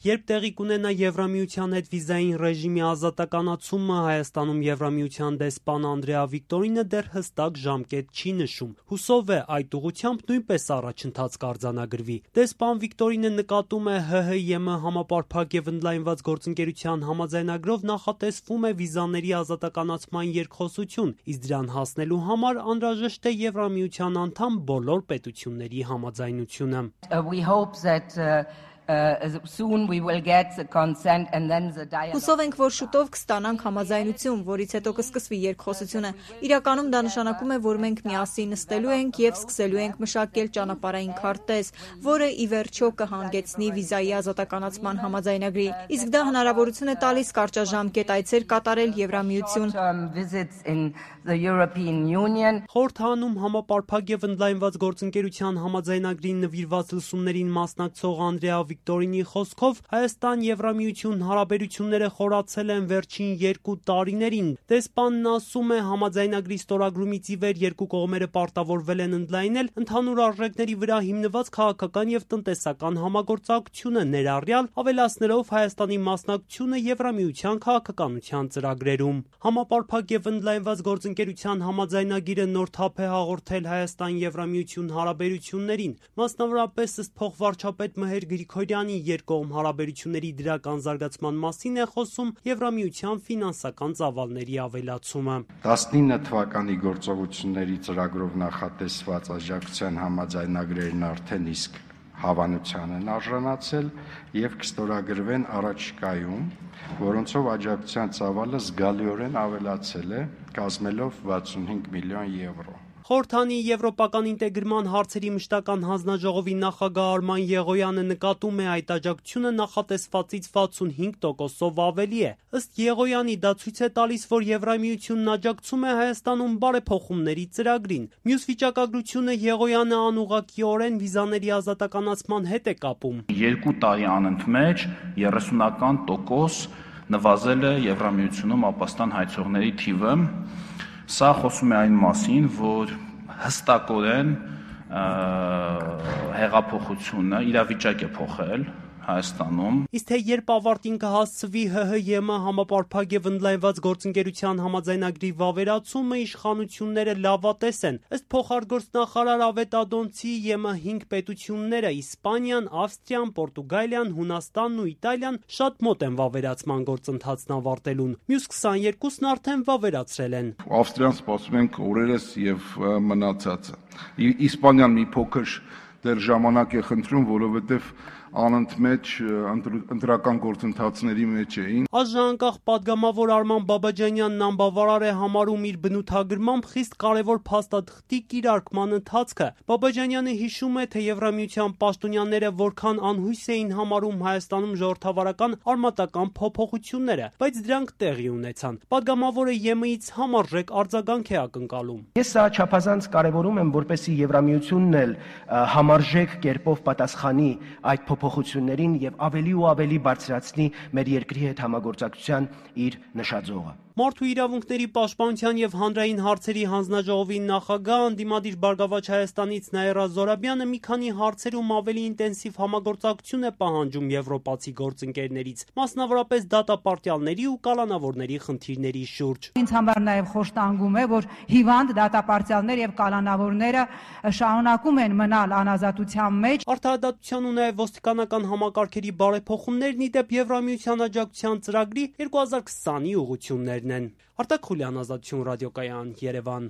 Երբ տեղի կունենա Եվրամիության հետ վիզային ռեժիմի ազատականացումը, Հայաստանում Եվրամիության դեսպան Անդրեա Վիկտորինը դեռ հստակ ժամկետ չի նշում։ Հուսով է այդ ուղղությամբ նույնպես առաջընթաց կարձանագրվի։ Դեսպան Վիկտորինը նկատում է ՀՀ-ԵՄ համապարփակ եւ ընդլայնված գործընկերության համաձայնագրով նախատեսվում է վիզաների ազատականացման երկխոսություն, իսկ դրան հասնելու համար անհրաժեշտ է Եվրամիության անդամ բոլոր պետությունների համաձայնությունը։ Soon we will get the consent and then the dialogue. Հուսով ենք, որ շուտով կստանանք համաձայնություն, որից հետո կսկսվի երկխոսությունը։ Իրականում դա նշանակում է, որ մենք միասին նստելու ենք եւ սկսելու ենք մշակել ճանապարհային քարտեզ, որը ի վերջո կհանգեցնի վիզայի ազատականացման համաձայնագրի։ Իսկ դա հնարավորություն է տալիս կարճաժամկետ այցեր կատարել Եվրամիություն։ Խորհրդանում համապարփակ եւ ընդլայնված գործընկերության համաձայնագրին նվիրված լսումներին մասնակցող Անդրեա Վիկտորինի խոսքով Հայաստան-Եվրամիություն հարաբերությունները խորացել են վերջին 2 տարիներին։ Դեսպանն ասում է, համաձայնագրի ստորագրումից ի վեր երկու կողմերը պարտավորվել են ընդլայնել ընդհանուր արժեքների վրա հիմնված քաղաքական եւ տնտեսական համագործակցությունը, ներառյալ ավելացնելով Հայաստանի մասնակցությունը Եվրամիության քաղաքականության ծրագրերում։ Համապարփակ եւ ընդլայնված գործընկերության համաձայնագիրը նոր թափ է հաղորդել Հայաստան-Եվրամիություն հարաբերություններին, մասնավորապես ըստ փոխվարչապետ Մհեր Գրիգորյանի երկկողմ հարաբերությունների դրական զարգացման մասին է խոսում Եվրամիության ֆինանսական ծավալների ավելացումը։ 19 թվականի գործողությունների ծրագրով նախատեսված աջակցության համաձայնագրերն արդեն իսկ հավանության են արժանացել եւ կստորագրվեն առաջիկայում, որոնցով աջակցության ծավալը զգալիորեն ավելացել է, կազմելով 65 միլիոն եվրո։ Խորհրդանի եվրոպական ինտեգրման հարցերի մշտական հանձնաժողովի նախագահ Արման Եղոյանը նկատում է այդ աջակցությունը նախատեսվածից 65%-ով ավելի է։ Ըստ Եղոյանի դա ցույց է տալիս, որ Եվրամիությունն աջակցում է Հայաստանում բարեփոխումների ծրագրին։ Մյուս վիճակագրությունը Եղոյանը անուղղակիորեն վիզաների ազատականացման հետ է կապում։ 2 տարի անընդմեջ 30% նվազել է Եվրամիությունում ապաստան հայցողների թիվը։ Սա խոսում է այն մասին, որ հստակորեն հեղափոխությունը իրավիճակ է փոխել Հայաստանում։ Իսկ թե երբ ավարտին կհասցվի ՀՀ-ԵՄ համապարփակ եւ ընդլայնված գործընկերության համաձայնագրի վավերացումը, իշխանությունները լավատես են։ Ըստ փոխարգործնախարար Ավետ Ադոնցի, ԵՄ 5 պետությունները՝ Իսպանիան, Ավստրիան, Պորտուգալիան, Հունաստանն ու Իտալիան շատ մոտ են վավերացման գործընթացն ավարտելուն։ Մյուս 22-ն արդեն վավերացրել են։ Ավստրիան սպասում ենք օրերս եւ մնացածը։ Իսպանիան մի փոքր դեռ ժամանակ է խնդրում, որովհետեւ անընդմեջ ընտրական գործընթացների մեջ էին։ Ազգանանկախ падգամավոր Արման Բաբաջանյանն անբավարար է համարում իր բնութագրմամբ խիստ կարևոր փաստաթղթի կիրարկման ընթացքը։ Բաբաջանյանը հիշում է, թե Եվրամիության պաշտոնյաները որքան անհույս էին համարում Հայաստանում ժողովրդավարական արմատական փոփոխությունները, բայց դրանք տեղի ունեցան։ Падգամավորը ԵՄ-ից համարժեք արձագանք է ակնկալում։ Ես սա չափազանց կարևորում եմ, որպեսզի Եվրամիությունն էլ համարժեք կերպով պատասխանի այդ փոփոխություններին եւ ավելի ու ավելի բարձրացնի մեր երկրի հետ համագործակցության իր նշաձողը։ Մարդու իրավունքների պաշտպանության եւ հանրային հարցերի հանձնաժողովի նախագահ անդիմադիր Բարգավաճ Հայաստանից Նաիրա Զորաբյանը մի քանի հարցերում ավելի ինտենսիվ համագործակցություն է պահանջում եվրոպացի գործընկերներից, մասնավորապես դատապարտյալների ու կալանավորների խնդիրների շուրջ։ Ինձ համար նաեւ խոշտանգում է, որ հիվանդ դատապարտյալներ եւ կալանավորները շարունակում են մնալ անազատության մեջ։ Արդարադատության ու նաեւ ոստիկանական համակարգերի բարեփոխումներն ի դեպ Եվրամիության աջակցության ծրագրի 2020-ի ուղղություններն են։ Արտակ Խուլյան, Ազատություն ռադիոկայան, Երևան։